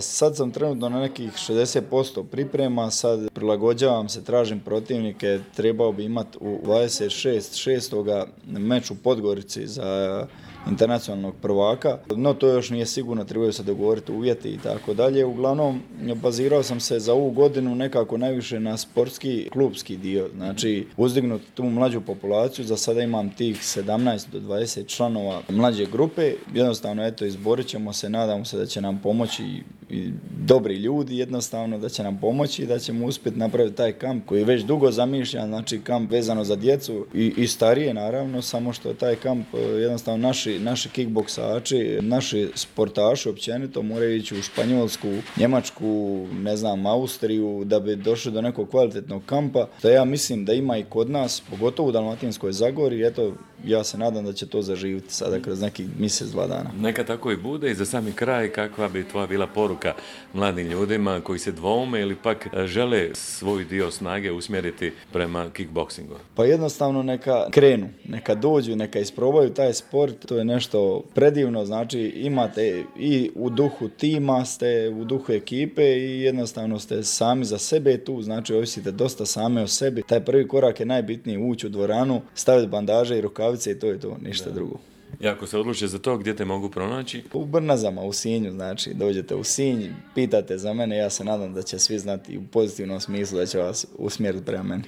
Sad sam trenutno na nekih 60% priprema, sad prilagođavam se, tražim protivnike, trebao bi imati u 26.6. meč u Podgorici za internacionalnog prvaka, no to još nije sigurno, trebaju se dogovoriti uvjeti i tako dalje. Uglavnom, bazirao sam se za ovu godinu nekako najviše na sportski, klubski dio, znači uzdignuti tu mlađu populaciju, za sada imam tih 17 do 20 članova mlađe grupe, jednostavno eto izborit ćemo se, nadamo se da će nam pomoći i dobri ljudi, jednostavno da će nam pomoći i da ćemo uspjeti napraviti taj kamp koji je već dugo zamišljan, znači kamp vezano za djecu i starije naravno, samo što taj kamp jednostavno naši kickboksači, naši sportaši općenito moraju ići u Španjolsku, Njemačku, ne znam, Austriju da bi došli do nekog kvalitetnog kampa. To ja mislim da ima i kod nas, pogotovo u Dalmatinskoj Zagori, eto ja se nadam da će to zaživiti sada kroz nekih mjesec, 2 dana. Neka tako i bude. I za sami kraj, kakva bi tvoja bila poruka mladim ljudima koji se dvoume ili pak žele svoj dio snage usmjeriti prema kickboksingu? Pa jednostavno neka krenu, neka dođu, neka isprobaju taj sport, to je nešto predivno, znači imate i u duhu tima, ste u duhu ekipe i jednostavno ste sami za sebe tu, znači ovisite dosta same o sebi. Taj prvi korak je najbitniji, ući u dvoranu, staviti bandaže i rukavice i to je to, ništa drugo. I ako se odluče za to, gdje te mogu pronaći? U Brnazama, u Sinju, znači dođete u Sinj, pitate za mene, ja se nadam da će svi znati u pozitivnom smislu da će vas usmjeriti prema meni.